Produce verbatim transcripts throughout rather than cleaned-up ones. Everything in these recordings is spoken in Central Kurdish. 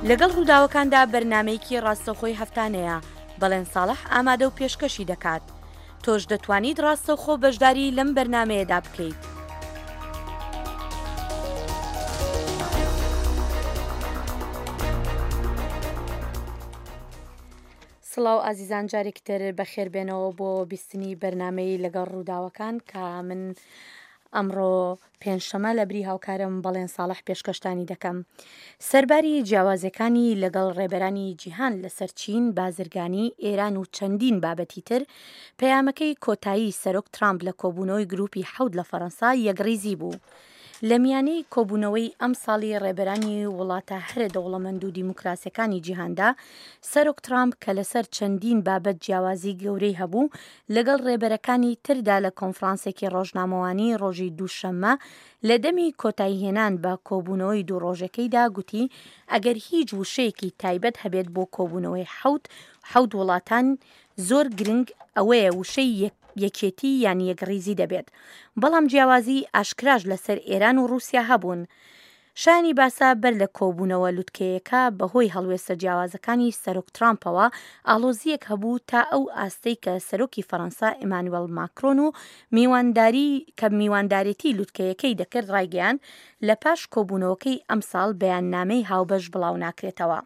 لەگەڵ ڕووداوەکاندا بەرنامەیەکی ڕاستەوخۆی هەفتانەیە، بەڵێن ساڵح ئامادە و پێشکەشی دەکات. تۆش دەتوانیت ڕاستەوخۆ بەشداری لەم بەرنامەیەدا بکەیت. سڵاو ئازیزان، جارێکی تر بەخێربێنەوە بۆ بیستنی بەرنامەی لەگەڵ ڕووداوەکان کە من ئەمڕۆ پێنجشەمە لە بری هاوکارم بەڵێن ساڵح پێشکەشتانی دەکەم. سەرباری جیاوازەکانی لەگەڵ ڕێبەرانی جیهان لەسەر چین، بازرگانی، ئێران و چەندین بابەتی تر، پەیامەکەی کۆتایی سەرۆک ترامپ لە کۆبوونەوەی گروپی حەوت لە فەرەنسا یەکڕیزی بوو. لە میانەی کۆبوونەوەی ئەمساڵی ڕێبەرانی وڵاتە هەرە دەوڵەمەند و دیموکراسیەکانی جیهاندا، سەرۆک ترامپ کە لەسەر چەندین بابەت جیاوازی گەورەی هەبوو، لەگەڵ ڕێبەرەکانی تردا لە کۆنفرانسێکی ڕۆژنامەوانی ڕۆژی دووشەممە لە دەمی کۆتاییهێنان بە کۆبوونەوەی دوو ڕۆژەکەیدا گوتی ئەگەر هیچ وشەیەکی تایبەت هەبێت بۆ کۆبوونەوەی حەوت حەوت وڵاتان زۆر گرنگ ئەوەیە وشەی یەکێتی یان یەکڕیزی دەبێت، بەڵام جیاوازی ئاشکراش لەسەر ئێران و ڕووسیا هەبوون. شایانی باسە بەر لە کۆبوونەوە لوتکەیەکە بەهۆی هەڵوێستە جیاوازەکانی سەرۆک ترامپەوە ئاڵۆزییەک هەبوو تا ئەو ئاستەی کە سەرۆکی فەرەنسا ئیمانوێل ماکرۆن و میوانداری کە میواندارێتی لوتکەیەکەی دەکرد ڕایگەیاند لە پاش کۆبوونەوەکەی ئەمساڵ بەیاننامەی هاوبەش بڵاو ناکرێتەوە.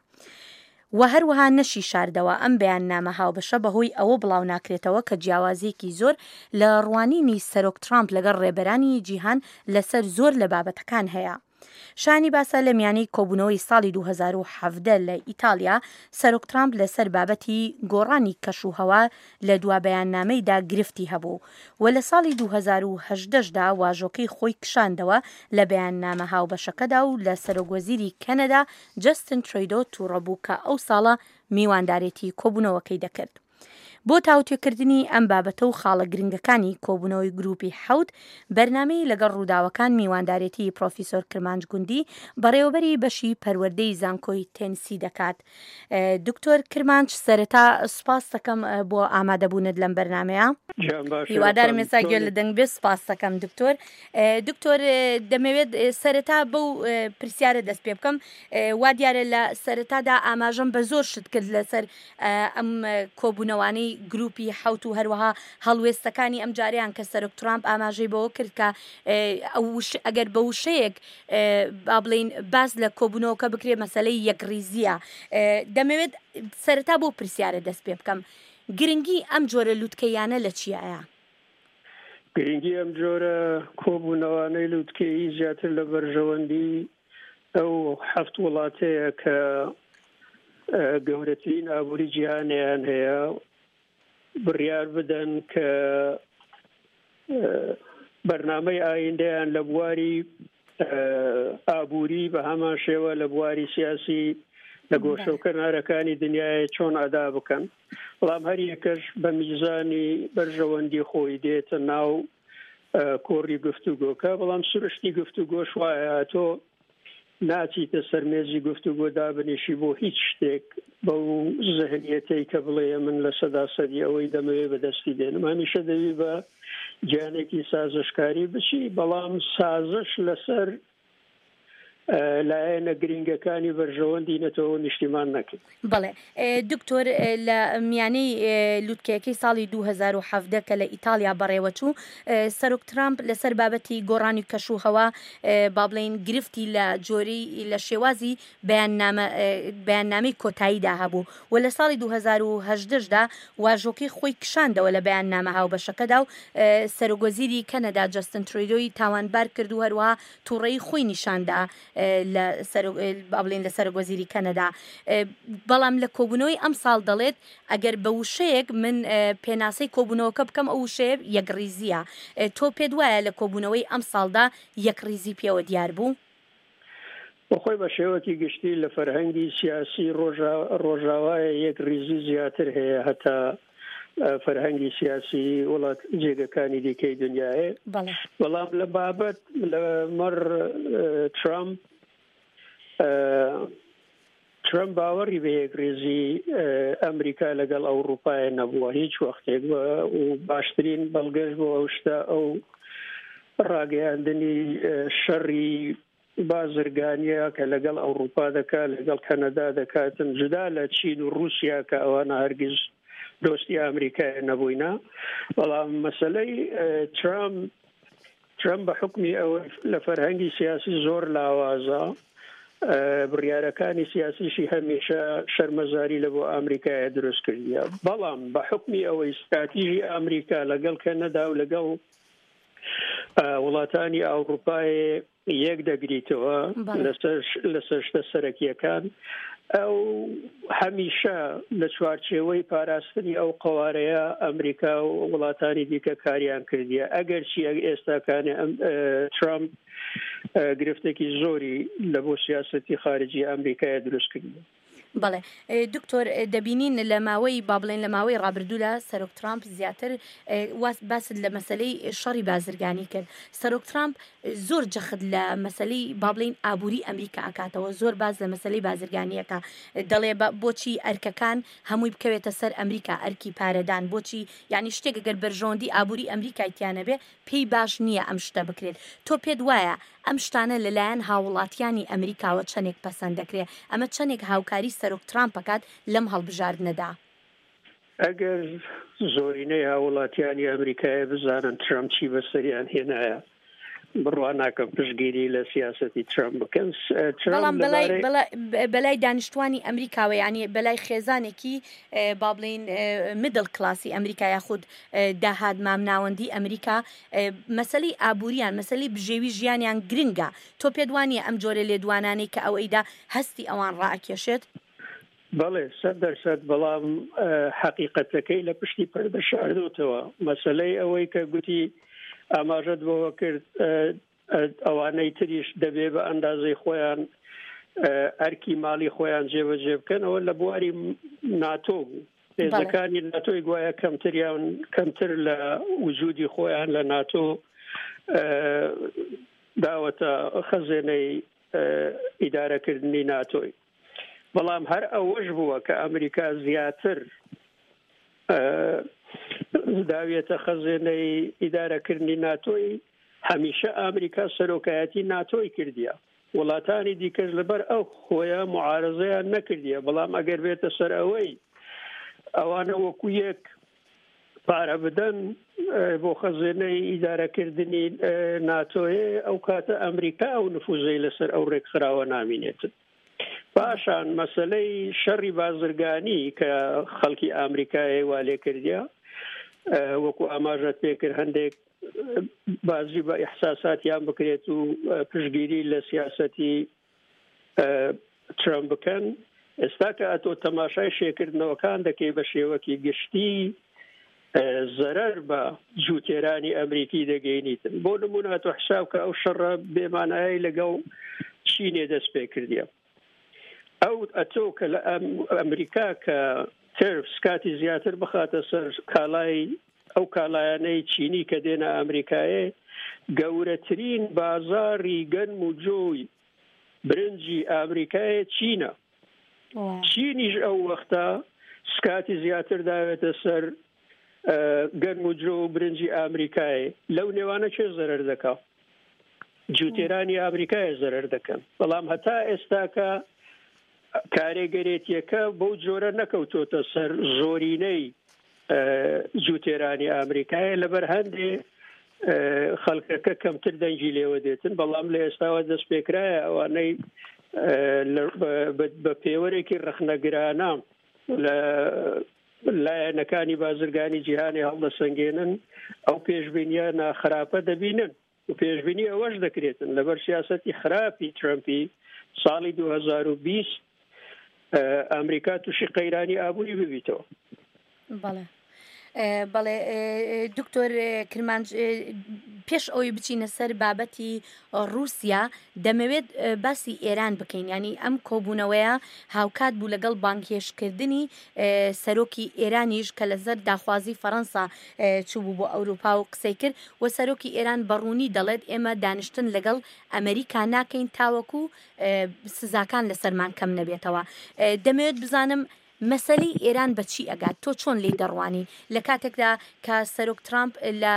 و هەروەها نەشی شاردەوە ئەم بەیاننامە هاوبەشە بەهۆی ئەوە بڵاو ناکرێتەوە کە جیاوازیەکی زۆر لە ڕوانینی سەرۆک ترامپ لەگەڵ ڕێبەرانی جیهان لەسەر زۆر لە بابەتەکان هەیە. شانی باسە لە میانەی کۆبوونەوەی ساڵی دوو هەزار و حەڤدە لە ئیتالیا، سەرۆک ترامپ لەسەر بابەتی گۆڕانی کەش و هەوا لە دوا بەیاننامەیدا گرفتی هەبوو و لە ساڵی دوو هەزار و هەژدە دا واژۆکەی خۆی کشاندەوە لە بەیاننامە هاوبەشەکەدا و لە سەرۆک وەزیری کەنەدا جەستن ترۆیدۆ تووڕە بوو کە ئەو ساڵە میواندارێتی کۆبوونەوەکەی دەکرد. بۆ تاوتوێکردنی ئەم بابەتە و خاڵە گرنگەکانی کۆبوونەوەی گروپی حەوت، بەرنامەی لەگەڵ ڕووداوەکان میواندارێتی پرۆفیسۆر کرمانج گوندی، بەڕێوەبەری بەشی پەروەردەی زانکۆی تێنسی دەکات. دکتۆر کرمانج، سەرەتا سوپاس دەکەم بۆ ئامادەبوونت لەم بەرنامەیە. هیوادارم ئێستا گوێ لە دەنگ بێ. سوپاس دەکەم دکتۆر. دکتۆر، دەمەوێت سەرەتا بەو پرسیارە دەست پێ بکەم. وا دیارە لە سەرەتادا ئاماژەم بە زۆر شت کرد لەسەر ئەم کۆبوونەوانەی گروپی حەوت و هەروەها هەڵوێستەکانی ئەم جاریان کە سەرۆک ترامپ ئاماژەی بەوە کرد کە ئەگەر بە وشەیەک با بڵێین باس لە کۆبوونەوەکە بکرێ مەسەلەی یەکڕیزیە. دەمەوێت سەرەتا بۆ پرسیارە دەست پێ بکەم، گرنگی ئەم جۆرە لوتکەیانە لە چیایە؟ گرنگی ئەم جۆرە کۆبوونەوانەی لوتکەیی زیاتر لە بەرژەوەندی ئەو حەفت وڵاتەیە کە گەورەترین ئابووری جیهانیان هەیە بڕیار بدەن کە بەرنامەی ئایندەیان لە بواری ئابووری بە هەمان شێوە لە بواری سیاسی لە گۆشە و کەنارەکانی دنیای چۆن ئەدا بکەن. بەڵام هەر یەکەش بە میزانی بەرژەوەندی خۆی دێتە ناو کۆڕی گفتوگۆکە. بەڵام سروشتی گفتوگۆش وایە تۆ ناچیتە سەر مێزی گفتوگۆ دابنیشی بۆ هیچ شتێک بەو زهنیەتەی کە بڵێ من لە سەدا سەدی ئەوەی دەمەوێ بەدەستی دێنم. هەمیشە دەوی بە گیانێکی سازشکاری بچی، بەڵام سازش لەسەر لایەنە گرنگەکانی بەرژەوەندی نەتەوە نیشتیمان نەکرد. بەڵێ دکتۆر، لە میانەی لوتکەیەکەی ساڵی دوو هەزار و حەڤدە کە لە ئیتالیا بەڕێوەچوو، سەرۆک ترامپ لەسەر بابەتی گۆڕانی کەش و هەوا با بڵێین گرفتی لە جۆری لە شێوازی بەیاننامەی کۆتاییدا هەبوو و لە ساڵی دوو هەزار و هەژدەشدا واژۆکەی خۆی کشاندەوە لە بەیاننامە هاوبەشەکەدا و سەرۆک وەزیری کەنەدا جەستن ترۆیدۆی تاوانبار کرد و هەروەها تووڕەیی خۆی نیشاندا لە بڵێن لە سەرۆک وەزیری کەنەدا. بەڵام لە کۆبوونەوەی ئەم ساڵ دەڵێت ئەگەر بە وشەیەک من پێناسەی کۆبوونەوەکە بکەم ئەو وشەیە یەکڕیزیە. تۆ پێت وایە لە کۆبوونەوەی ئەم ساڵدا یەکڕیزی پێوە دیار بوو؟ بەخۆی بە شێوەکی گشتی لە فەرهەنگی سیاسی ڕۆژاوایە یەکڕیزی زیاتر هەیە هەتا فەرهەنگی سیاسی وڵات جێگەکانی دیکەی دنیاە. بەڵام لە بابەت لە مەڕ ترامپ، ترامپ باوەڕی بە یەکڕیزی ئەمریکا لەگەڵ ئەوروپایە نەبووە هیچ وەختێک و باشترین بەڵگەش بۆ ئەو شتە ئەو ڕاگەیاندنی شەڕی بازرگانیە کە لەگەڵ ئەوروپا دەکات، لەگەڵ کەنەدا دەکاتن، جودا لە چین و رووسیا کە ئەوانە هەرگیز دۆستی ئەمریکای نەبووینە. بەڵام مەسلەی ترامپ ترامپ بە حکمی ئەوە لە فەرهەنگی سیاسی زۆر لاوازە، بڕیارەکانی سیاسیشی هەمیشە شەرمەزاری لە بۆ ئەمریکایە دروست کردیە. بەڵام بە حکمی ئەوەی ستراتیژی ئەمریکا لەگەڵ کەنەدا و لەگەڵ وڵاتانی ئەوروپای یەک دەگریتەوە لەسەر شتە سەرەکیەکان، ئەو هەمیشە لە چوارچێوەی پاراستنی ئەو قوارەیە ئەمریکا و وڵاتانی دیکە کاریان کردیە. ئەگەر چی ئێستاکانی ترامپ گرفتێکی زۆری لە بۆ سیاسەتی خارجی ئەمریکای دروست کردیە. بەڵێ دکتۆر، دەبینین لە ماوەی با بڵێن لە ماوەی ڕابردوودا سەرۆک ترامپ زیاتر باست لە مەسلەی شەڕی بازرگانی کرد. سەرۆک ترامپ زۆر جەخت لە مەسلەی با بڵێین ئابووری ئەمریکا ئەکاتەوە، زۆر باز لە مەسلەی بازرگانیەکە دەڵێ بۆچی ئەرکەکان هەمووی بکەوێتە سەر ئەمریکا، ئەرکی پارەدان بۆچی، یعنی شتێک ئەگەر بەرژەوەندی ئابووری ئەمریکای تیانەبێ پێی باش نییە ئەم شتە بکرێت. تۆ پێت وایە ئەم شتانە لەلایەن هاوڵاتیانی ئەمریکاوە چەندێک پەسەند دەکرێت؟ ئەمە چەندێک هاوکاری سەرۆک ترامپ بکات لەم هەڵبژاردنەدا؟ ئەگەر زۆرینەی هاوڵاتیانی ئەمریکایە بزانن ترامپ چی بەسەریان هێنایە، بڕوا ناکەم پشتگیری لە سیاسەتی ترامپ بکەن. بەڵام بەلای دانیشتوانی ئەمریکاوە، یعنی بەلای خێزانێکی با بڵێین middle class ی ئەمریکا یاخود داهات مامناوەندی ئەمریکا، مەسلەی ئابووریان، مەسلەی بژێوی ژیانیان گرنگە. تۆ پێت وانییە ئەم جۆرە لێدوانانەی کە ئەوەیدا هەستی ئەوان ڕائەکێشێت؟ بەڵێ سەد دەرسەد، بەڵام حەقیقەتەکەی لە پشتی پەردە شاردۆتەوە. مەسلەی ئەوەی کە گوتی ئاماژەت بەوە کرد ئەوانەی تریش دەبێ بە ئەندازەی خۆیان ئەرکی ماڵی خۆیان جێبەجێ بکەن، ئەوە لە بواری ناتۆ بوو. هێزەکانی ناتۆی گوایە کەمتریان کەمتر لە وجودی خۆیان لە ناتۆ داوەتە خەزێنەی ئیدارەکردنی ناتۆی. بەڵام هەر ئەوەش بووە کە ئەمریکا زیاتر داوێتە خەزێنەی ئیدارەکردنی ناتۆی، هەمیشە ئەمریکا سەرۆکایەتی ناتۆی کردیە، وڵاتانی دیکەش لەبەر ئەو خۆیان معارزەیان نەکردیە. بەڵام ئەگەر بێتە سەر ئەوەی ئەوانە وەکو یەک پارە بدەن بۆ خەزێنەی ئیدارەکردنی ناتۆیە، ئەو کاتە ئەمریکا ئەو نفوزەی لەسەر ئەو ڕێکخراوە نامینێتن. پاشان مەسلەی شەڕی بازرگانی کە خەڵکی ئەمریکای وا لێ کردیە، وەکو ئاماژەت پێکرد هەندێک بازی بە ئیحساساتیان بکرێت و پشتگیری لە سیاسەتی ترامپ بکەن. ئێستا کە ئەتۆ تەماشای شێکردنەوەکان دەکەی بە شێوەکی گشتی زەرەر بە جووتێرانی ئەمریکی دەگەینیتن. بۆ نمونە تۆ حساب کە ئەو شەڕە بێمانایەی لەگەڵ چینێ دەست پێ کردیە، ئەو ئەتۆ کە لە ئەمریکا کە ترف سکاتی زیاتر بخاتە سەر کالای ئەو کالایانەی چینی کە دێنە ئەمریکایە، گەورەترین بازاری گەنم و جۆی برنجی ئەمریکایە چینە. چینیش ئەو وەختە سکاتی زیاتر داوێتە سەر گەنم و جۆ و برنجی ئەمریکایە. لەو نێوانە چێ زەرەر دەکا؟ جوتێرانی ئەمریکایە زەرەر دەکەن. بەڵام هەتا ئێستاکە کارێگەرێتیەکە بەو جۆرە نەکەوتۆتە سەر زۆرینەی جوتێرانی ئەمریکایە، لەبەر هەندێ خەڵکەکە کەمتر دەنگی لێوە دێتن. بەڵام لە ئێستاوە دەست پێکرایە ئەوانەی بە پێوەرێکی ڕەخنەگرانە لە لایەنەکانی بازرگانی جیهانی هەڵدەسەنگێنن، ئەو پێشبینیە ناخراپە دەبینن و پێشبینی ئەوەش دەکرێتن لەبەر سیاسەتی خراپی ترەمپی ساڵی دوو هەزار و بیست ئەمریکا تووشی قەیرانی ئابووری ببیتەوە. بەڵێ بەڵێ دکتۆر کرمانج، پێش ئەوەی بچینە سەر بابەتی رووسیا دەمەوێت باسی ئێران بکەین. ینی ئەم کۆبوونەوەیە هاوکات بوو لەگەڵ بانگهێشتکردنی سەرۆکی ئێرانیش کە لەسەر داخوازی فەرەنسا چوو بۆ ئەوروپا و قسەی کرد و سەرۆکی ئێران بەڕوونی دەڵێت ئێمە دانیشتن لەگەڵ ئەمریکا ناکەین تاوەکو سزاکان لەسەرمان کەم نەبێتەوە. دەمەوێت بزانم مەسەلەی ئێران بە چی ئەگات؟ تۆ چۆن لێی دەڕوانی لە کاتێکدا کە سەرۆک ترامپ لە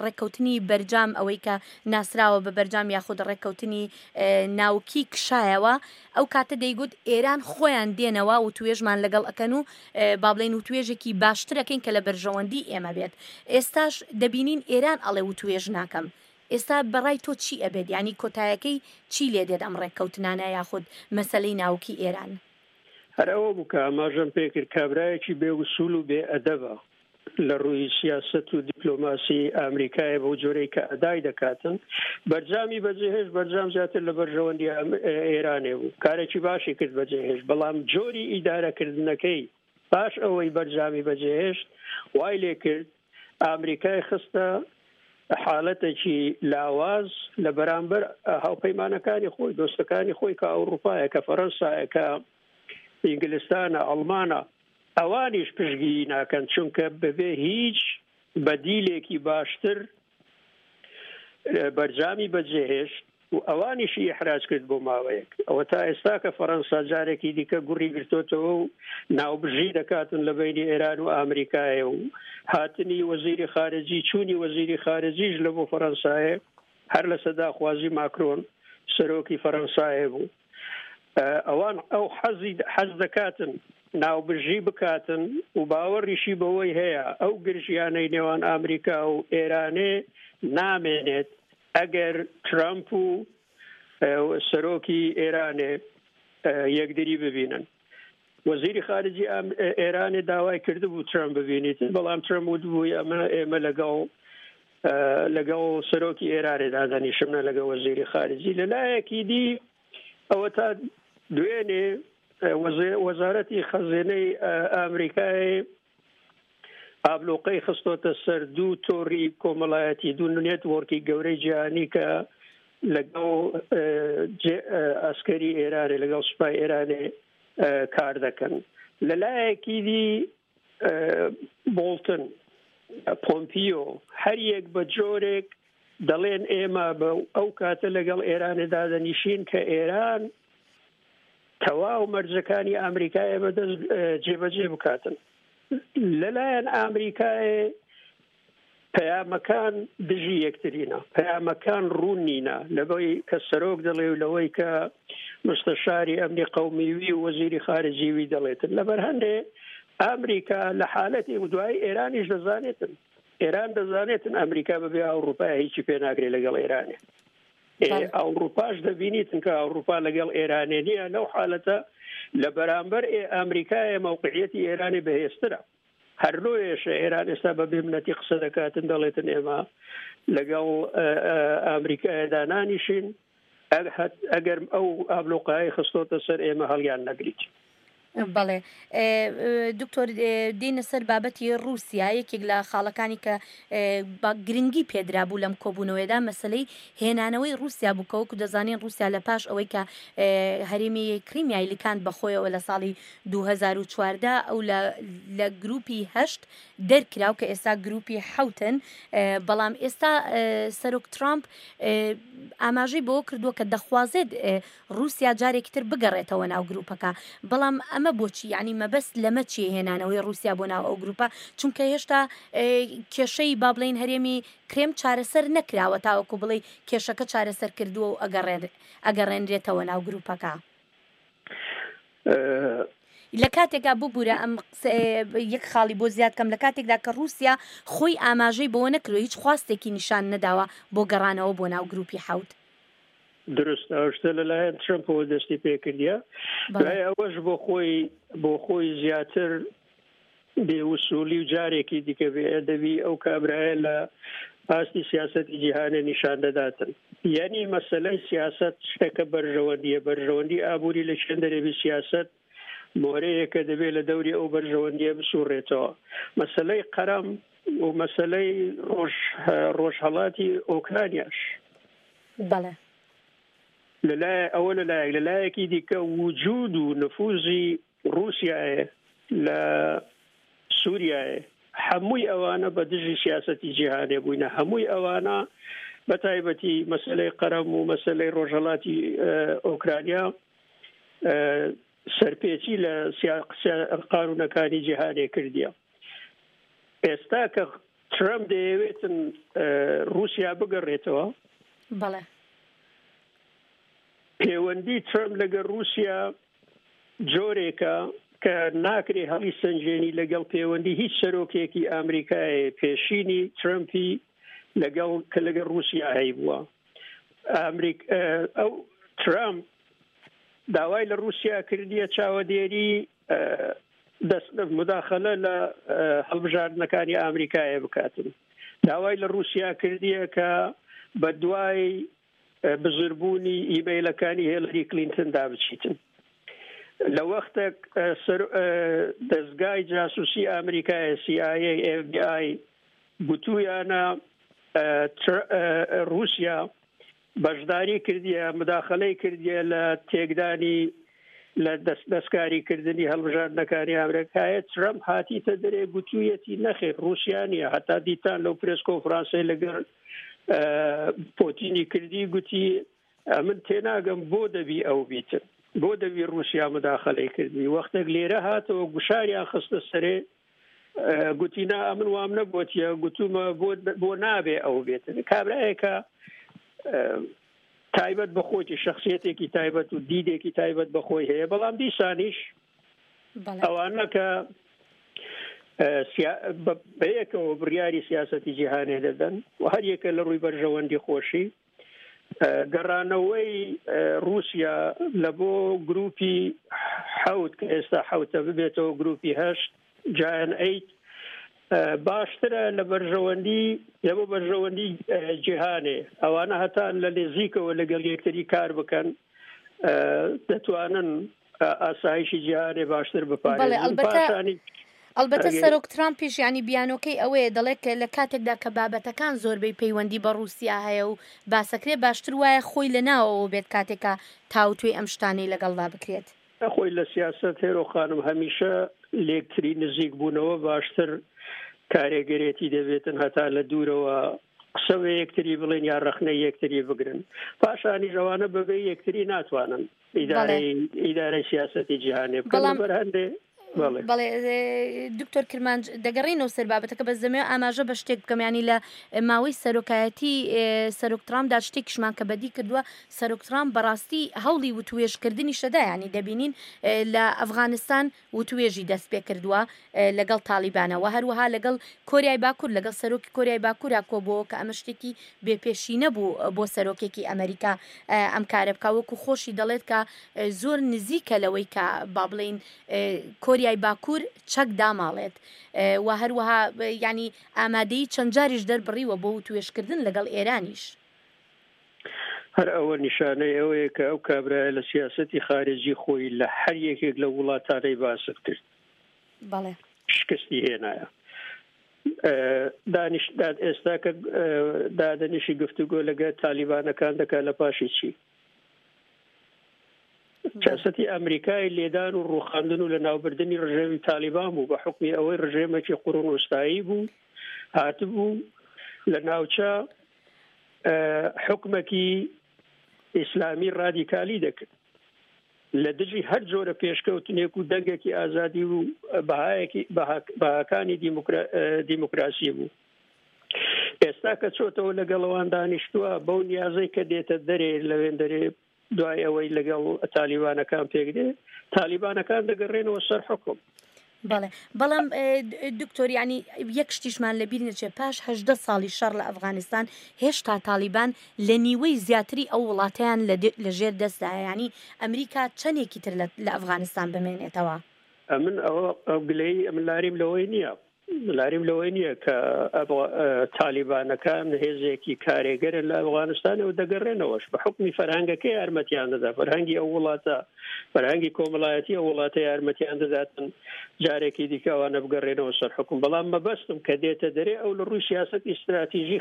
ڕێککەوتنی بەرجام، ئەوەی کە ناسراوە بە بەرجام یاخود ڕێککەوتنی ناوکی کشایەوە، ئەو کاتە دەیگوت ئێران خۆیان دێنەوە وتوێژمان لەگەڵ ئەکەن و با بڵێین وتوێژێکی باشتر ئەکەین کە لە بەرژەوەندی ئێمە بێت. ئێستاش دەبینین ئێران ئەڵێ وتوێژ ناکەم. ئێستا بەڕای تۆ چی ئەبێت؟ یعنی کۆتایەکەی چی لێ دێت ئەم ڕێککەوتنانە یاخود مەسەلەی ناوکی ئێران؟ هەر ئەوە بوو کە ئاماژەم پێکرد، کابرایەکی بێ وسوول و بێ ئەدەبە لە ڕووی سیاسەت و دیپلۆماسی ئەمریکایە بەو جۆرەی کە ئەدای دەکاتن. بەرجامی بەجێهێشت، بەرجام زیاتر لە بەرژەوەندی ئێرانێ بوو، کارێکی باشی کرد بەجێهێشت، بەڵام جۆری ئیدارەکردنەکەی پاش ئەوەی بەرجامی بەجێهێشت وای لێ کرد ئەمریکای خستە حالەتێکی لاواز لە بەرامبەر هاوپەیمانەکانی خۆی، دۆستەکانی خۆی کە ئەوروپایە، کە فەرەنسایە، کە ئینگلستانە، ئەڵمانە، ئەوانیش پشتگیری ناکەن، چونکە بەبێ هیچ بەدیلێکی باشتر بەرجامی بەجێهێشت و ئەوانیشی ئیحراج کرد بۆ ماوەیەک. ئەوە تا ئێستا کە فەرەنسا جارێکی دیکە گوڕی گرتۆتەوە و ناوبژی دەکاتن لە بەینی ئێران و ئەمریکایە و هاتنی وەزیری خارجی، چوونی وەزیری خارجیش لە بۆ فەرەنسایە هەر لە سەداخوازی ماکرۆن سەرۆکی فەرەنسایە بوو. ئەوان ئەو حەزی حەز دەکاتن ناوبژی بکاتن و باوەڕیشی بەوەی هەیە ئەو گرژیانەی نێوان ئەمریکا و ئێرانێ نامێنێت ئەگەر ترامپ و سەرۆکی ئێرانێ یەکدری ببینن. وەزیری خارجی ئێرانێ داوای کردبوو ترامپ ببینیتن، بەڵام ترامپ وتبووی ئەمە ئێمە لەگەڵ لەگەڵ سەرۆکی ئێرانێ دادەنیشم نە لەگەڵ وەزیری خارجی. لەلایەکی دی ئەوە تا دوێنێ وەزارەتی خەزێنەی ئەمریکای ئابلوقەی خستۆتە سەر دوو تۆڕی کۆمەڵایەتی، دوو نێتوۆرکی گەورەی جیهانی کە لەگەڵ ئەسکەری ئێرانێ، لەگەڵ سوپای ئێرانێ کار دەکەن. لەلایەکی دی بۆڵتن، پۆمپیۆ، هەر یەک بە جۆرێک دەڵێن ئێمە بە ئەو کاتە لەگەڵ ئێرانێ دادەنیشین کە ئێران تەواو مەرجەکانی ئەمریکایە بەدەست جێبەجێ بکاتن. لەلایەن ئەمریکای پەیامەکان دژی یەکترینە، پەیامەکان ڕوون نینە، لەوەی کە سەرۆک دەڵێ و لەوەی کە مستەشاری ئەمنی قەومیوی و وەزیری خارجیوی دەڵێتن. لەبەر هەندێ ئەمریکا لە حالەتی و دوای ئێرانیش دەزانێتن، ئێران دەزانێتن ئەمریکا بەبێ ئەوروپا هیچی پێ ناکرێت لەگەڵ ئێرانێ. ئەوروپاش دەبینیتن کە ئەوروپا لەگەڵ ئێرانێ نییە. لەو حالەتە لە بەرامبەر ئەمریکایە مەوقعیەتی ئێرانی بەهێزترە. هەر لۆیەشە ئێران ئێستا بە بێمنەتی قسە دەکاتن، دەڵێتن ئێمە لەگەڵ ئەمریکایەدا نانیشین ئەگەر ئەو ئابلۆقایی خستۆتە سەر ئێمە هەڵیان نەگریت. بەڵێ دکتۆر، دێنە سەر بابەتی ڕووسیا. یەکێک لە خاڵەکانی کە گرنگی پێدرا بوو لەم کۆبوونەوەیدا مەسلەی هێنانەوەی ڕووسیا بوو، کە وەکو دەزانین ڕووسیا لە پاش ئەوەی کە هەرێمی کریمیای لکاند بەخۆیەوە لە ساڵی دوو هەزار و چواردە ئەو لە گروپی هەشت دەرکراو کە ئێستا گروپی حەوتن، بەڵام ئێستا سەرۆک ترامپ ئاماژەی بەوە کردووە کە دەخوازێت ڕووسیا جارێکی تر بگەڕێتەوە ناو گروپەکە. بەڵام ئەمە بۆچی؟ یعنی مەبەست لەمە چی هێنانەوەی ڕووسیا بۆ ناو ئەو گروپە؟ چونکە هێشتا کێشەی با بڵێین هەرێمی کرێم چارەسەر نەکراوە تاوەکو بڵێ کێشەکە چارەسەر کردووە و ئەگەڕێنرێتەوە ناو گروپەکە. لە کاتێکدا ببوورە ئەم یەک خاڵی بۆ زیاد کەم، لە کاتێکدا کە ڕووسیا خۆی ئاماژەی بەوە نەکردووە، هیچ خواستێکی نیشان نەداوە بۆ گەڕانەوە بۆ ناو گروپی حەوت. درست، ئەو شتە لەلایەن ترەمپەوە دەستی پێکردیە. دوای ئەوەش بۆ خۆی بۆ خۆی زیاتر بێوسوولی و جارێکی دیکە بێئەدەبی ئەو کابرایە لە ئاستی سیاسەتی جیهانە نیشان دەداتن. یعنی مەسەلەی سیاسەت شتێکە بەرژەوەندیە، بەرژەوەندی ئابووری لە چێن دەرێبی سیاسەت مۆرەیەکە دەبێت لە دەوری ئەو بەرژەوەندیە بسوڕێتەوە. مەسەلەی قەرەم و مەسەلەی ڕۆژهەڵاتی ئۆکرانیاش بەڵێ لەلایە ئەوە لەلایەک، لەلایەکی دیکە وجود و نفوزی ڕووسیایە لە سووریایە، هەمووی ئەوانە بە دژی سیاسەتی جیهانێ بووینە. هەمووی ئەوانە بە تایبەتی مەسەلەی قەرەم و مەسەلەی ڕۆژهەڵاتی ئۆکرانیا سەرپێچی لە قانونەکانی جیهانێ کردیە. ئێستا کە ترەمپ دەیەوێتن رووسیا بگەڕێتەوە، بەڵێ پەیوەندی ترەمپ لەگەڵ رووسیا جۆرێکە کە ناکرێ هەڵی سەنجێنی لەگەڵ پەیوەندی هیچ سەرۆکێکی ئەمریکای پێشینی ترەمپی لەگەڵ کە لەگەڵ رووسیا هەیبووە. ئەمریک ئەو ترەمپ داوای لە رووسیا کردیە چاوەدێری مداخلە لە هەڵبژاردنەکانی ئەمریکایە بکاتن. داوای لە رووسیا کردیە کە بە دوای بزربوونی ئیمەیلەکانی هێلری کلینتندا بچیتن. لە وەختێک دەستگای جاسوسی ئەمریکای سی ئای ئەی ئف بی ئای گوتویانە رووسیا بەشداری کردیە، مداخلەی کردیە لە تێکدانی لە دەستکاریکردنی هەڵبژاردنەکانی ئەمریکایە، ترەمپ هاتیتە دەرێ گوتوویەتی نەخێر رووسیا نییە. هەتا دیتان لەو پرێس کۆنفرانسەی لەگەڵ پۆتینی کردی گوتی ئەمن تێناگەم بۆ دەبی ئەو بیتن، بۆ دەبی رووسیا مداخلەی کردی. وەختێک لێرە هاتەوە گوشاریان خستە سەرێ گوتی نا ئەمن وام نەگوتیە، گوتومە بۆ نابێ ئەو بێتن. کابرایەکە تایبەت بە خۆیتی، شخصیەتێکی تایبەت و دیدێکی تایبەت بە خۆی هەیە، بەڵام دیسانیش ئەوانە کە بەیەکەوە بڕیاری سیاسەتی جیهانێ دەدەن و هەر یەکە لە ڕووی بەرژەوەندی خۆشی. گەڕانەوەی رووسیا لە بۆ گروپی حەوت کە ئێستا حەوتە ببێتەوە گروپی هەشت جایان ئەیت باشترە لە بەرژەوەندی لە بۆ بەرژەوەندی جیهانێ. ئەوانە هەتا لە نزیکەوە لەگەڵ یەکتری کار بکەن دەتوانن ئاسایشی جیهانێ باشتر بپارێزن. پاشانی ئەلبەتە سەرۆک ترامپیش ینی بیانۆکەی ئەوەیە دەڵێت کە لە کاتێکدا کە بابەتەکان زۆربەی پەیوەندی بە رووسیا هەیە و باسەکرێ باشتر وایە خۆی لە ناوەوە بێت کاتێکە تاوتوێی ئەم شتانەی لەگەڵدا بکرێت. خۆی لە سیاسەت هێرۆ خانم هەمیشە لێکتری نزیک بوونەوە باشتر کارێگەرێتی دەبێتن هەتا لە دوورەوە قسە بە یەکتری بڵێن یا ڕەخنەی یەکتری بگرن. پاشانیش ئەوانە بەبێ یەکتری ناتوانن ئیدارەی سیاسەتی جیهانێ بکەن. لەبەر هەندێ بەڵێ دکتۆر کرمانج دەگەڕینەوە سەر بابەتەکە، بەس دەمەوێت ئاماژە بە شتێک بکەم. ینی لە ماوەی سەرۆکایەتی سەرۆک ترامپدا شتێکیشمان کە بەدی کردووە، سەرۆک ترامپ بەڕاستی هەوڵی وتوێژکردنی شەدا، ینی دەبینین لە ئەفغانستان وتوێژی دەست پێ کردووە لەگەڵ تالیبانەوە، هەروەها لەگەڵ کۆریای باکوور، لەگەڵ سەرۆکی کۆریای باکوورا کۆبووەوە کە ئەمە شتێکی بێپێشی نەبوو بۆ سەرۆکێکی ئەمریکا ئەم کارە بکە. وەکو خۆشی دەڵێت کە زۆر نزیکە لەوەی کە با بڵێین کۆریای باکوور چەک داماڵێت و هەروەها ینی ئامادەی چەند جاریش دەربڕیوە بۆ وتوێژکردن لەگەڵ ئێرانیش. هەر ئەوە نیشانەی ئەوەیە کە ئەو کابرایە لە سیاسەتی خارجی خۆی لە هەر یەکێک لە وڵاتانەی باست کرد بەڵێ شکستی هێنایە. دانیش ئێستا کە دادەنیشی گفتوگۆ لەگەڵ تالیبانەکان دەکات لە پاشی چی؟ سیاسەتی ئەمریکای لێدان و ڕوخاندن و لە ناوبردنی ڕژێمی تالیبان بوو بە حکمی ئەوەی ڕژێمێکی قوڕون وستایی بوو، هاتبوو لە ناوچە حکومەکی ئیسلامی ڕادیکالی دەکرد لە دژی هەر جۆرە پێشکەوتنێک و دەنگێکی ئازادی و بەهایەکی بەهاکانی دیموکراسی بوو. ئێستا کە چۆتەوە لەگەڵەوان دانیشتووە بەو نیازەی کە دێتە دەرێ لەوێن دەرێ دوای ئەوەی لەگەڵ تالیبانەکان پێک دێ، تالیبانەکان دەگەڕێنەوە سەر حکوم. بەڵێ بەڵام دکتۆر ینی یەک شتیشمان لەبیر نەچێت، پاش هەژدە ساڵی شەڕ لە ئەفغانستان هێشتا تالیبان لە نیوەی زیاتری ئەو وڵاتیان لە ژێر دەستدایە. ینی ئەمریکا چەندێکی تر لە ئەفغانستان بمێنێتەوە؟ ئەمن ئەو گلەیی ئەمن لاریم لەوەی نییە، لاریم لەوەی نییە کە تالیبانەکان هێزێکی کارێگەرن لە ئەفغانستانەوە دەگەڕێنەوەش بە حکمی فەرهەنگەکەی یارمەتیان دەدا، فەرهەنگی ئەو وڵاتە، فەرهەنگی کۆمەڵایەتی ئەو وڵاتە یارمەتیان دەداتن جارێکی دیکە ئەوانە بگەڕێنەوە سەر حکم. بەڵام مەبەستم کە دێتە دەرێ ئەو لە ڕووی سیاسەتی ئیستراتیژی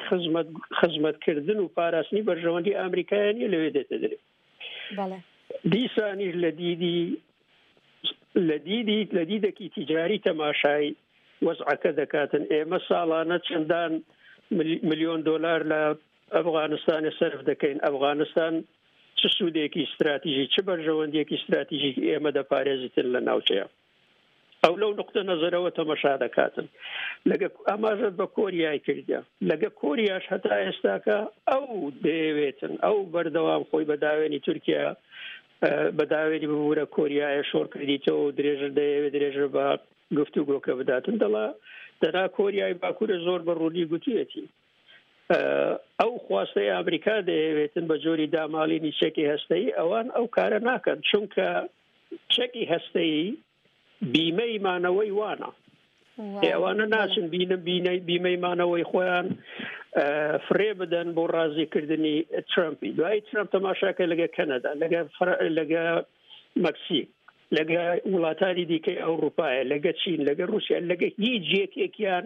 خزمەتکردن و پاراستنی بەرژەوەندی ئەمریکایە نییە لەوێ دێتە دەرێ. دیسانیش لە دیدی لە دیدی لە دیدێکی تیجاری تەماشای وەزعەکە دەکاتن. ئێمە ساڵانە چەندان ملیۆن دۆلار لە ئەفغانستانی سەرف دەکەین. ئەفغانستان چ سوودێکی استراتیژی، چ بەرژەوەندیەکی استراتیژی ئێمە دەپارێزیتن لە ناوچەیە. ئەو لەو نقطە نەزەرەوە تەمەشا دەکاتن. لەگە ئاماژەت بە کۆریای کردە، لەگە کۆریاش هەتا ئێستاکە ئەو دەیەوێتن ئەو بەردەوام خۆی بە داوێنی تورکیا، بە داوێنی ببوورە کۆریایە شۆڕ کردیتەوە و درێژە دەیەوێت درێژە بە گفتوگۆکە بداتن. دەڵا دەنا کۆریای باکوورە زۆر بە ڕوونی گوتویەتی ئەو خواستەی ئەمریکا دەیەوێتن بە جۆری داماڵینی چەکی هەستەیی، ئەوان ئەو کارە ناکەن، چونکە چەکی هەستەیی بیمەی مانەوەی وانە. ئەوانە ناچن بینم بیمەی مانەوەی خۆیان فرێ بدەن بۆ ڕازیکردنی ترامپی. دوای ترامپ تەماشاکە لەگە کەنەدا، لەگە لەگە مەکسیک، لەگە وڵاتانی دیکەی ئەوروپایە، لەگە چین، لەگە رووسیا، لەگە هیچ یەکێکیان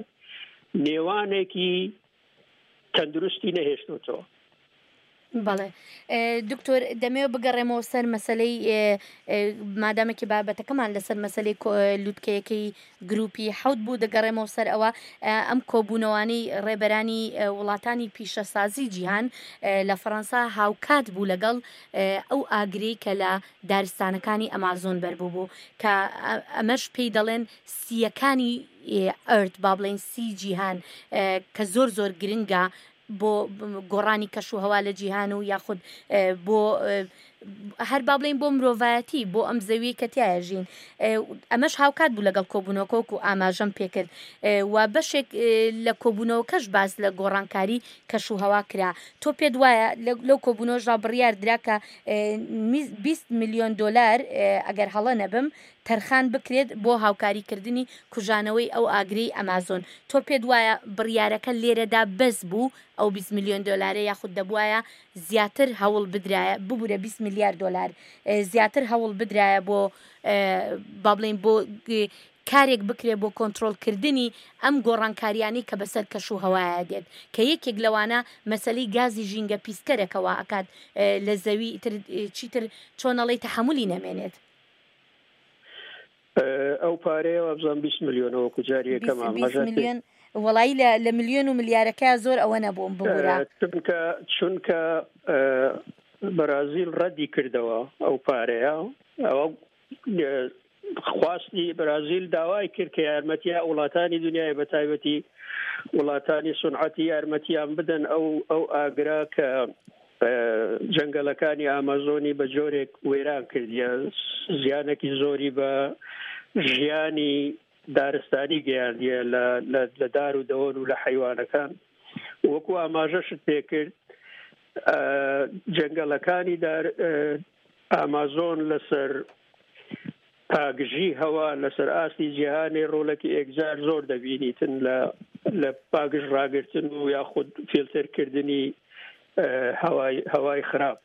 نێوانێکی تەندروستی نەهێشتوتەوە. بەڵێ دکتۆر، دەمەوێت بگەڕێمەوە سەر مەسلەی مادامێکی بابەتەکەمان لەسەر مەسلەی لوتکەیەکەی گروپی حەوت بوو، دەگەڕێمەوە سەر ئەوە ئەم کۆبوونەوانەی ڕێبەرانی وڵاتانی پیشەسازی جیهان لە فەڕەنسا هاوکات بوو لەگەڵ ئەو ئاگرەی کە لە دارستانەکانی ئەمازۆن بەربوو بوو، کە ئەمەش پێی دەڵێن سیەکانی ئەرد، با بڵێن سی جیهان، کە زۆر زۆر گرنگە بۆ گۆڕانی کەش و هەوا لە جیهان و یاخود بۆ هەر با بڵێین بۆ مرۆڤایەتی، بۆ ئەم زەویەی کە تیایە ژین. ئەمەش هاوکات بوو لەگەڵ کۆبوونەوەکە وەکو ئاماژەم پێکرد و بەشێک لە کۆبوونەوەکەش باس لە گۆڕانکاری کەش و هەوا کرا. تۆ پێت وایە لەو کۆبوونەوەشدا بڕیار درا کە بیست ملیۆن دۆلار ئەگەر هەڵە نەبم تەرخان بکرێت بۆ هاوکاریکردنی کوژانەوەی ئەو ئاگرەی ئەمازۆن. تۆ پێت وایە بڕیارەکە لێرەدا بەس بوو ئەو بیست ملیۆن دۆلارە، یاخود دەبوایە زیاتر هەوڵ بدرایە، ببوورە بیست ملیار دۆلار زیاتر هەوڵ بدرایە بۆ با بڵێین بۆ کارێک بکرێ بۆ کۆنترۆڵکردنی ئەم گۆڕانکاریانەی کە بەسەر کەش و هەوایە دێت، کە یەکێک لەوانە مەسلەی گازی ژینگە پیسکەرێکەوە ئەکات لە زەوی تر چیتر چۆنەڵی تەحەمولی نەمێنێت. ئەو پارەیە وابزانم بیست ملیۆنەوە وەکو جاری یەکەم ئاماژە ملیۆن وەڵایی لە ملیۆن و ملیارەکە زۆر ئەوە نەبووم ببورە، چونکە چونکە بەرازیل ڕەدی کردەوە ئەو پارەیە. ئەوە خواستی بەرازیل داوای کرد کە یارمەتیە وڵاتانی دنیای بە تایبەتی وڵاتانی سونعەتی یارمەتیان بدەن ئەو ئەو ئاگرا کە جەنگەلەکانی ئامازۆنی بە جۆرێک وێران کردیە، زیانێکی زۆری بە ژیانی دارستانی گەیاندیە لە دار و دەوەن و لە حیوانەکان. وەکو ئاماژەشت پێکرد جەنگەلەکانی دار ئامازۆن لەسەر پاگژی هەوا لەسەر ئاستی جیهانی ڕۆڵێکی ئێکجار زۆر دەبینیتن لە لە پاگژ ڕاگرتن و یاخود فیلتەرکردنی هەوای هەوای خراپ.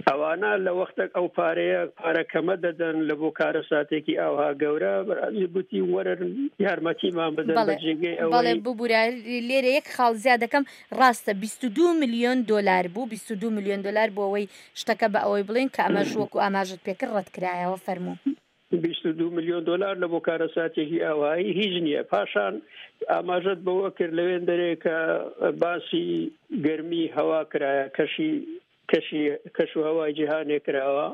ئەوانە لە وەختێک ئەو پارەیە پارە کەمە دەدەن لە بۆ کارەساتێکی ئاوها گەورە، بەرازی گوتی وەرن یارمەتیمان بدەن بە جێگەی ئەوەی. بەڵێ ببورە لێرە یەک خاڵ زیاد دەکەم، ڕاستە بیست و دوو ملیۆن دۆلار بوو، بیست و دوو ملیۆن دۆلار بۆ ئەوەی شتەکە بە ئەوەی بڵێن کە ئەمەش وەکو ئاماژەت پێکرد ڕەت کرایەوە. فەرموو. بیست و دوو ملیۆن دۆلار لە بۆ کارەساتێکی ئاوایی هیچ نییە. پاشان ئاماژەت بەوە کرد لەوێن دەرێ کە باسی گەرمی هەوا کرایە، کەشی کەشی کەش و هەوای جیهانێ کراوە.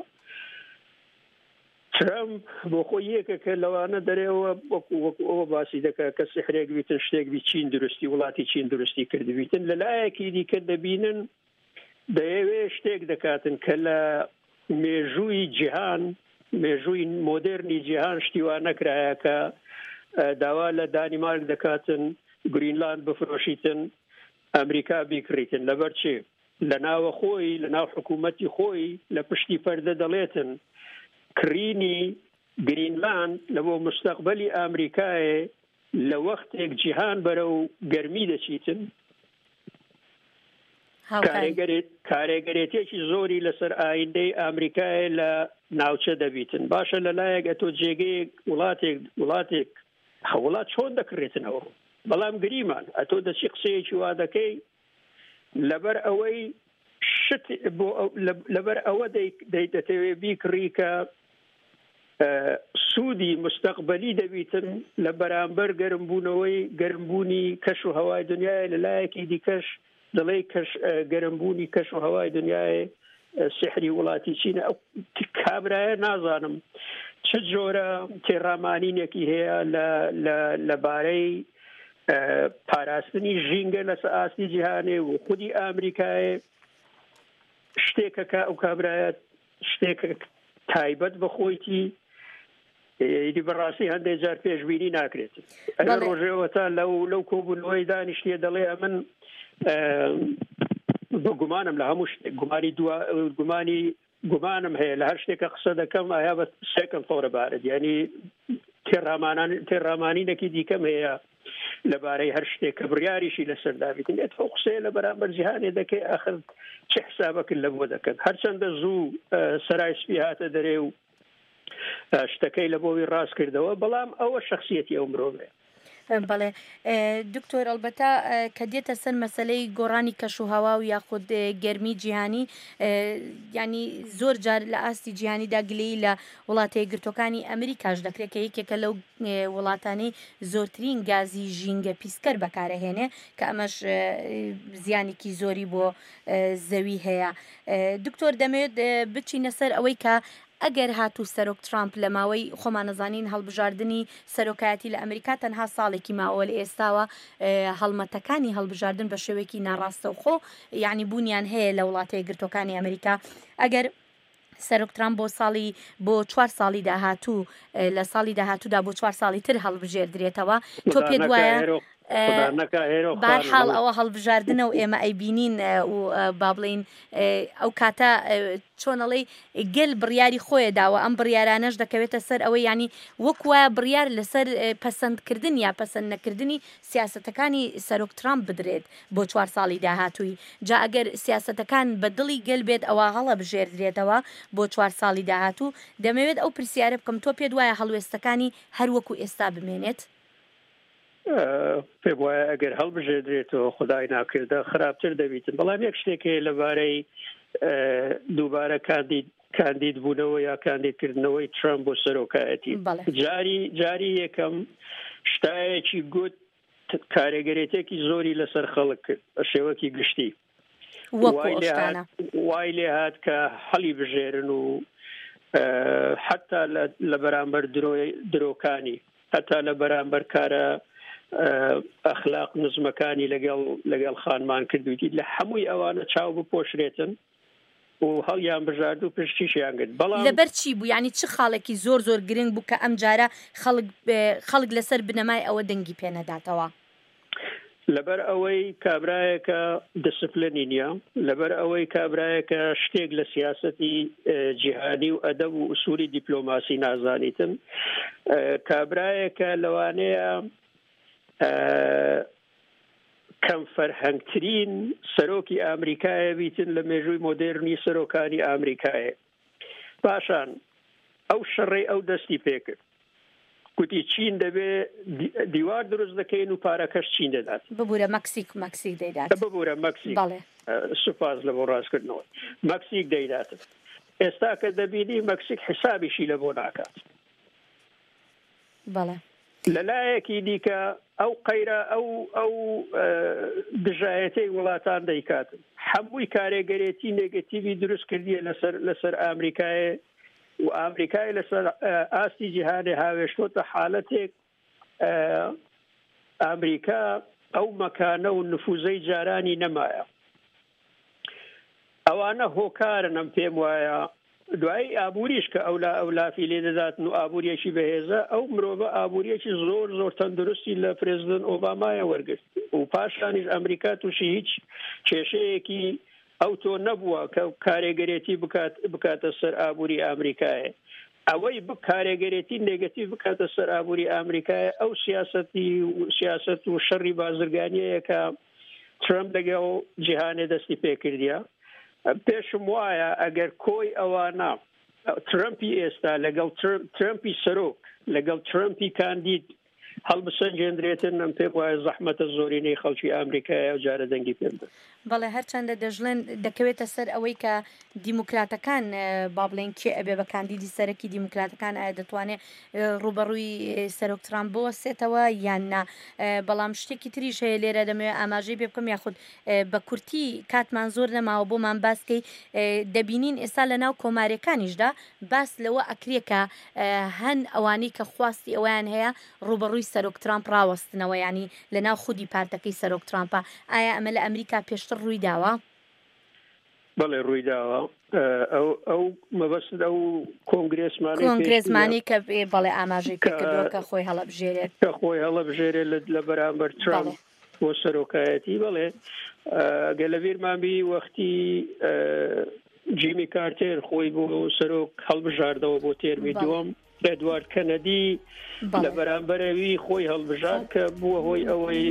ترامپ بۆ خۆی یەکێکە لەوانە دەرێەوە وەکو وەکو ئەوە باسی دەکات کە سحرێک بیتن، شتێک بی چین درستی وڵاتی چین درستی کردبیتن. لەلایەکی دیکە دەبینن دەیەوێ شتێک دەکاتن کە لە مێژووی جیهان، مێژووی مۆدێرنی جیهان شتیوان نەکرایە کە داوا لە دانیمارک دەکاتن گرینلاند بفرۆشیتن، ئەمریکا بیکڕیتن. لەبەر چی؟ لە ناوە خۆی، لە ناو حکوومەتی خۆی لە پشتی پەردە دەڵێتن کڕینی گرینلاند لە بۆ مستەقبەلی ئەمریکایە لە وەختێک جیهان بەرەو گەرمی دەچیتن کارێگەرێتێکی زۆری لەسەر ئایندەی ئەمریکایە لە ناوچە دەبیتن. باشە لەلایەک ئەتۆ جێگەیەک وڵاتێک وڵاتێک وڵات چۆن دەکڕێتنەوە، بەڵام گریمان ئەتۆ دەچی قسەیەکی وا دەکەی لەبەر ئەوەی شت بۆ لەبەر ئەوە دەتەوێ بیکڕی کە سوودی مستەقبەلی دەبیتن لە بەرامبەر گەرمبوونەوەی گەرمبوونی کەش و هەوای دنیای. لەلایەکی دیکەش دەڵێ کەش گەرمبوونی کەش و هەوای دنیای سحری وڵاتی چینە. ئەو کابرایە نازانم چ جۆرە تێڕامانینێکی هەیە لەبارەی پاراستنی ژینگە لەسەر ئاستی جیهانێ و خودی ئەمریکایە. شتێکە کە ئەو کابرایە شتێکە تایبەت بە خۆیتی، ئیدی بەڕاستی هەندێک جار پێشبینی ناکرێت. ئەگەر ڕۆژێوە تا لەو لەو کۆبوونەوەی دانیشتیە دەڵێ ئەمن بە گومانم لە هەموو شتێک، گومانی دوا گومانی گومانم هەیە لە هەر شتێکە قسە دەکەم ئایا بە سێکم فۆرە بارد، یعنی تێڕامانان تێڕامانینێکی دیکەم هەیە لەبارەی هەر شتێک کە بڕیاریشی لەسەر دابیتن. ئێت ئەو قسەیە لە بەرامبەر جیهانێ دەکەی، ئاخر چه حسابەکرد لە بۆ دەکەن؟ هەرچەندە زوو سەرای سپی هاتە دەرێ و شتەکەی لە بۆوی ڕاست کردەوە، بەڵام ئەوە شخصیەتی ئەو مرۆڤەیە. بەڵێ دکتۆر، ئەلبەتە کە دێتە سەر مەسلەی گۆڕانی کەش و هەوا و یاخود گەرمی جیهانی، ینی زۆر جار لە ئاستی جیهانیدا گلەیی لە وڵاتە یەکگرتووەکانی ئەمریکاش دەکرێت کە یەکێکە لەو وڵاتانەی زۆرترین گازی ژینگە پیسکەر بەکارەهێنێ، کە ئەمەش زیانێکی زۆری بۆ زەوی هەیە. دکتۆر، دەمەوێت بچینە سەر ئەوەی کە ئەگەر هاتوو سەرۆک ترامپ لە ماوەی خۆمانەزانین هەڵبژاردنی سەرۆکایەتی لە ئەمریکا تەنها ساڵێکی ماوە لە ئێستاوە، هەڵمەتەکانی هەڵبژاردن بە شێوەیەکی ناڕاستەوخۆ یعنی بوونیان هەیە لە وڵاتە یەکگرتووەکانی ئەمریکا. ئەگەر سەرۆک ترامپ بۆ ساڵی بۆ چوار ساڵی داهاتوو لە ساڵی داهاتوودا بۆ چوار ساڵی تر هەڵبژێردرێتەوە، تۆ پێت وایە بارحاڵ ئەوە هەڵبژاردنە و ئێمە ئەیبینین و با بڵین ئەو کاتە چۆنەڵێی گەل بڕیاری خۆیە داوە، ئەم بڕیارانەش دەکەوێتە سەر ئەوەی ینی وەک وایە بڕیار لەسەر پەسەندکردن یا پەسەند نەکردنی سیاسەتەکانی سەرۆک ترامپ بدرێت بۆ چوار ساڵی داهاتووی. جا ئەگەر سیاسەتەکان بە دڵی گەل بێت ئەوە هەڵەبژێردرێتەوە بۆ چوار ساڵی داهاتوو. دەمەوێت ئەو پرسیارە بکەم، تۆ پێت وایە هەڵوێستەکانی هەر وەکو ئێستا بمێنێت؟ پێم وایە ئەگەر هەڵبژێردرێتەوە خدای ناکردە خراپتر دەبیتن. بەڵام یەک شتێک هەیە لەبارەی دووبارە کاندید کاندید بوونەوە یا کاندیدکردنەوەی ترامپ بۆ سەرۆکایەتی. جاری جاری یەکەم شتایەکی گوت کارێگەرێتێکی زۆری لەسەر خەڵک کرد بە شێوەکی گشتی، وای لێ هات کە هەڵی بژێرن و حتا لە بەرامبەر درۆکانی، حتا لە بەرامبەر کارە ئەخلاق نزمەکانی لەگەڵ لەگەڵ خانمان کردوویتی، لە هەمووی ئەوانە چاو بپۆشرێتن و هەڵیان بژارد و پشتیشیان گرت. بەڵام لەبەر چی بوو؟ یعنی چ خاڵێکی زۆر زۆر گرنگ بوو کە ئەم جارە خەڵک خەڵک لەسەر بنەمای ئەوە دەنگی پێ نەداتەوە؟ لەبەر ئەوەی کابرایەکە دیسپلینی نییە، لەبەر ئەوەی کابرایەکە شتێک لە سیاسەتی جیهانی و ئەدەب و ئوسولی دیپلۆماسی نازانیتن، کابرایەکە لەوانەیە کەم فەرهەنگترین سەرۆکی ئەمریکایە بیتن لە مێژووی مۆدێرنی سەرۆکانی ئەمریکایە. پاشان ئەو شەڕەی ئەو دەستی پێکرد، گوتی چین دەبێ دیوار دروست دەکەین و پارەکەش چین دەدات. ببوورە مەکسیک مەکسیک دەیدات. ببوورە مەکسیک. سوپاس لە بۆ ڕاستکردنەوە. مەکسیک دەیدات. ئێستا کە دەبینی مەکسیک حسابیشی لە بۆ ناکات. بەڵێ. لەلایەکی دیکە ئەو قەیرە ئەو ئەو دژایەتەی وڵاتان دەیکات، هەمووی کارێگەرێتی نێگەتیڤی دروست کردیە لەسەر لەسەر ئەمریکایە و ئەمریکای لەسەر ئاستی جیهانی هاوێشتۆتە حالەتێک ئەمریکا ئەو مەکانە و نفوزەی جارانی نەمایە. ئەوانە هۆکارن ئەم پێم وایە. دوای ئابووریش کە ئەولا ئەولافی لێ دەداتن و ئابووریەکی بەهێزە، ئەو مرۆڤە ئابووریەکی زۆر زۆر تەندروستی لە پرێزیدنت ئۆبامایە وەرگرت و پاشانیش ئەمریکا تووشی هیچ کێشەیەکی ئەو تۆ نەبووە کە کارێگەرێتی بکاتە سەر ئابووری ئەمریکایە. ئەوەی کارێگەرێتی نێگەتیڤ بکاتە سەر ئابووری ئەمریکایە ئەو سیاسەتی سیاسەت و شەڕی بازرگانیەیە کە ترەمپ لەگەڵ جیهانێ دەستی پێکردیە. پێشم وایە ئەگەر کۆی ئەوانە ترەمپی ئێستا لەگەڵ ترەمپی سەرۆک لەگەڵ ترەمپی کاندید هەڵبسەنگێندرێتن، ئەم پێم وایە زەحمەتە زۆرینەی خەڵکی ئەمریکایە ئەو جارە دەنگی پێ بدەن. بەڵێ، هەرچەندە دەشڵێن دەکەوێتە سەر ئەوەی کە دیموکراتەکان با بڵێن کێ ئەبێ بە کاندیدی سەرەکی دیموکراتەکان، ئایا دەتوانێت ڕووبەڕووی سەرۆک ترامپ بوەستێتەوە یان نا. بەڵام شتێکی تریش هەیە لێرە دەمەوێت ئاماژەی پێ بکەم، یاخود بە کورتی کاتمان زۆر نەماوە بۆمان باسکەی. دەبینین ئێستا لە ناو کۆماریەکانیشدا باس لەوە ئەکرێ کە هەن ئەوانەی کە خواستی ئەویان هەیە ڕووبەڕووی سەرۆک ترامپ ڕاوەستنەوە، ینی لە ناو خودی پارتەکەی سەرۆک ترامپە. ئایا ئەمە لە ئەمریکا پێشتر ڕووی داوە؟ بەڵێ ڕووی داوە. ئەو ئەو مەبەست ئەو کۆنگرێسمانەی کۆنگرێسمانی کە بەڵێ ئاماژەی پێکردووە کە خۆی هەڵەبژێرێت، کە خۆی هەڵەبژێرێت لە بەرامبەر ترامپ بۆ سەرۆکایەتی. بەڵێ گە لە بیرمان بی وەختی جیمی کارتێر خۆی بۆ سەرۆک هەڵبژاردەوە بۆ تێرمی دووەم، ئێدوارد کەنەدی لە بەرامبەرەوی خۆی هەڵبژارد کە بووە هۆی ئەوەی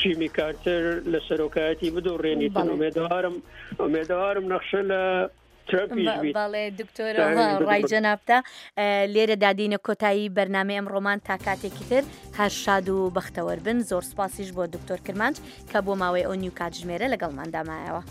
جیمی کارتەر لە سەرۆکایەتی بدۆڕێنیتن. ئومێدەوارم ئومێدەوارم نەخشە لە بەڵێ دکتۆر، ڕای جەنابتە. لێرە دادینە کۆتایی بەرنامەی ئەمڕۆمان، تا کاتێکی تر هەر شاد و بەختەوەر بن. زۆر سپاسیش بۆ دکتۆر کرمانج کە بۆ ماوەی ئەو نیو کاتژمێرە لەگەڵماندا مایەوە.